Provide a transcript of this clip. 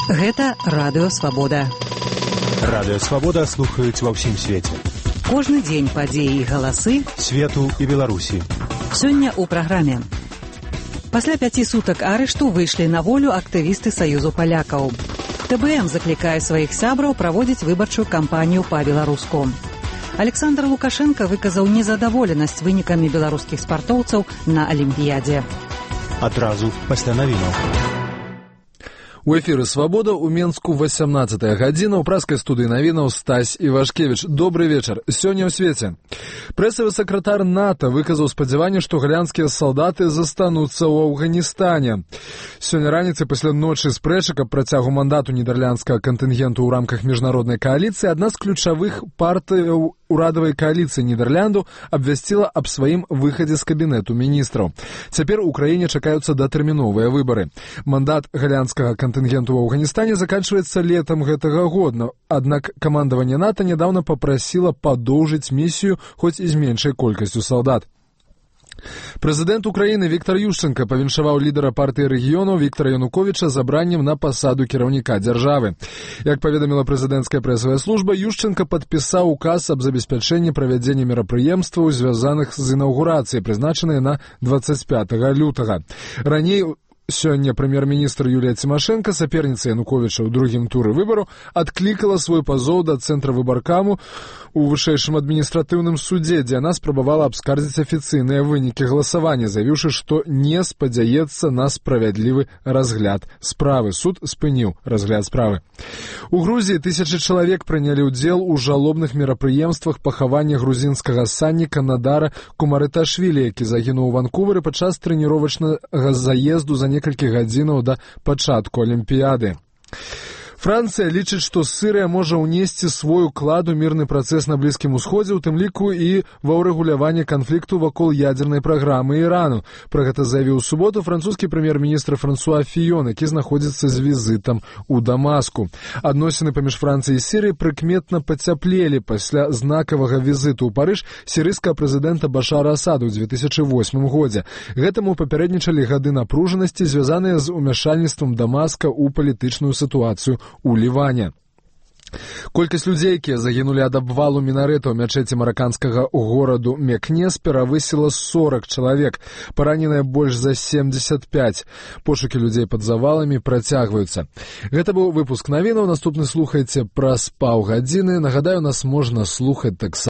Гэта Радыё Свабода. Радыё Свабода слухаюць ва ўсім свеце. Кожны дзень падзеі і галасы свету і Беларусі. Сёння ў праграме. Пасля 5 сутак арышту выйшлі на волю актывісты Саюзу палякаў. ТБМ заклікае сваіх сябраў праводзіць выбарчую кампанію па-беларуску. Александр Лукашенко выказаў незадаволенасць вынікамі беларускіх спартоўцаў на Алімпіядзе. Адразу пасля навінаў. У эфіры «Свабода» у Менску 18 гадзіна. У праскай студыі навінаў Стась Івашкевіч. Добрый вечар. Сёння ў свеце. Прэсавы сакратар НАТО выказаў спадзяванне, што галянскія салдаты застануцца ў Афганістане. Сёння раніцай пасля ночы спрэчак аб працягу мандату нідерландскага кантынгенту ў рамках міжнароднай кааліцыі адна з ключавых партыяў урадавай кааліцыі Нідерлянду абвясціла аб сваім выхадзе з кабінету міністраў. Цяпер у краіне чакаюцца датэрміновыя выбары. Мандат галянскага кантынгенту ў Афганістане заканчваецца летам гэтага года, аднак камандаванне НАТО нядаўна папрасіла падоўжыць місію хоць і з меншай колькасцю салдат. Прэзідэнт Украіны Віктор Ющенка павіншаваў лідара партыі рэгіёнаў Віктора Януковіча забраннем на пасаду кіраўніка дзяржавы. Як паведаміла прэзідэнцкая прэсавая служба, Ющенка падпісаў указ аб забеспячэнні правядзення мерапрыемстваў, звязаных з інаўгурацыяй, прызначанай на 25 лютага. Раней сёння прэм'ер-міністр Юлія Цімашэнка, саперніца Януковіча ў другім туры выбару, адклікала свой пазоў да цэнтра выбаркаму у вышэйшым адміністратыўным судзе, дзе яна спрабавала абскардзіць афіцыйныя вынікі галасавання, заявіўшы, што не спадзяецца на справядлівы разгляд справы. Суд спыніў разгляд справы. У Грузіі тысячы чалавек прынялі ўдзел у жалобных мерапрыемствах пахавання грузінскага санніка Надара Кумарыташвілі, які загінуў у Ванкувары падчас трэніровачнага заезду за некалькі гадзінаў да пачатку Алімпіяды. Францыя лічыць, што Сірыя можа ўнесці свой уклад у мірны працэс на Блізкім Усходзе, у тым ліку і ва ўрэгуляванне канфлікту вакол ядзернай праграмы Ірану. Пра гэта заявіў у суботу французскі прэм'ер-міністр Франсуа Фіён, які знаходзіцца з візітам у Дамаску. Адносіны паміж Францыяй і Сірыяй прыкметна пацяплелі пасля знакавага візіту ў Парыж сірыйскага прэзідэнта Башара Асада ў 2008 годзе. Гэтаму папярэднічалі гады напружанасці, звязаныя з умяшальніцтвам Дамаска ў палітычную сітуацыю у Ліване. Колькасць людзей, якія загінулі ад абвалу мінарэта ў мячэці мараканскага гораду Мекнес, перавысіла 40 чалавек, параненыя больш за 75. Пошукі людзей пад заваламі працягваюцца. Гэта быў выпуск навінаў. Наступны слухайце праз паўгадзіны. Нагадаю, нас можна слухаць таксама